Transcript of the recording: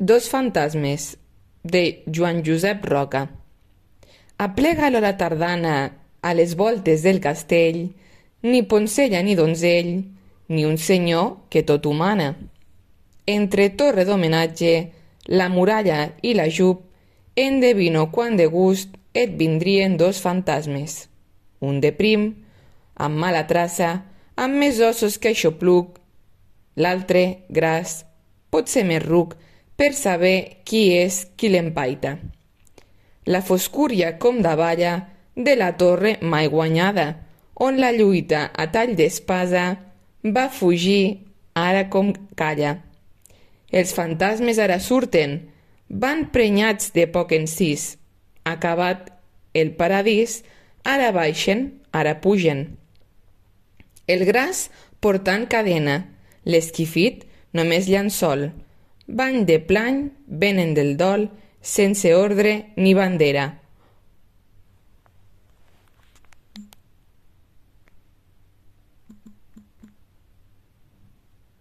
Dos fantasmes, de Joan Josep Roca. Aplega l'hora tardana a les voltes del castell, ni poncella ni donzell, ni un senyor que tot humana. Entre torre d'homenatge, la muralla i la jup, endevino quan de gust et vindrien dos fantasmes. Un de prim, amb mala traça, amb més ossos que aixopluc, l'altre, gras, potser més ruc, per saber qui és qui l'empaita. La foscúria com davalla de la torre mai guanyada, on la lluita a tall d'espasa va fugir ara com calla. Els fantasmes ara surten, van prenyats de poc encís. Acabat el paradís, ara baixen, ara pugen. El gras portant cadena, l'esquifit només llençol. Van de plany, venen del dol, sense ordre ni bandera.